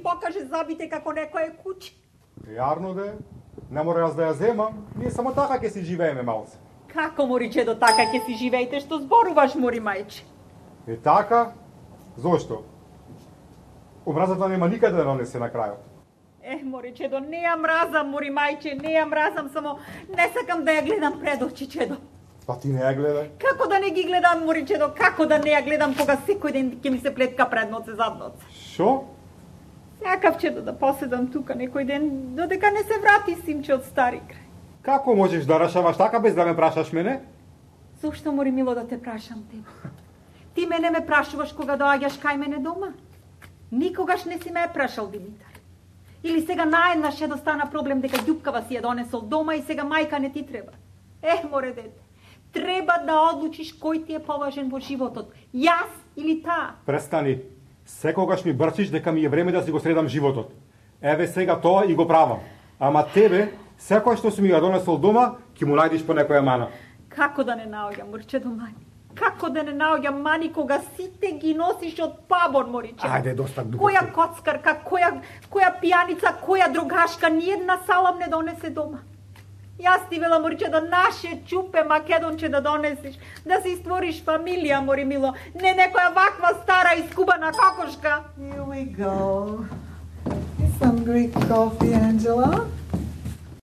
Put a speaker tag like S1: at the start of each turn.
S1: покаже зъбите како некое куче.
S2: Јарно де, не мора јас да ја земам, ние само така ќе си живееме малце.
S1: Како, моричедо, така ќе си живеете, што зборуваш, мори мајче?
S2: И така? Зошто? Омразата нема никаде да нанесе на крајот.
S1: Моричедо, не ја мразам, мори мајче, не ја мразам, само не сакам да ја гледам пред очи, чедо.
S2: Па ти не ја гледај.
S1: Како да не ги гледам, моричедо, како да не ја гледам кога секој ден ќе ми се плетка пред ноце, зад ноце?
S2: Шо?
S1: Сакав, чедо, да поседам тука некој ден, додека не се врати симче од стари крај.
S2: Како можеш да решаваш така без да ме прашаш мене?
S1: Зошто, мори мило, да те прашам тебе? Ти мене ме прашуваш кога доаѓаш кај мене дома? Никогаш не си ме прашал, Димитар. Или сега наеднаш ќе стана проблем дека ѓупкава си ја донесол дома и сега мајка не ти треба? Море дете, треба да одлучиш кој ти е поважен во животот, јас или таа.
S2: Престани. Секогаш ми брчиш дека ми е време да си го средам животот. Еве сега тоа и го правам. Ама тебе, секој што си ми ја донесол дома, ќе му најдиш по некоја мана.
S1: Како да не наоѓам, Морчедо, мани? Како да не наоѓам мани кога сите ги носиш од пабор, Мориче?
S2: Ајде, доста глупости.
S1: Која коцкарка, која пијаница, која другашка, ниедна салам не донесе дома. Јас ти вела, Мориче, да наше чупе македонче да донесиш, да си створиш фамилија, мори мило, не некоја ваква стара искубана кокошка.
S3: Here we go. Some Greek coffee, Angela.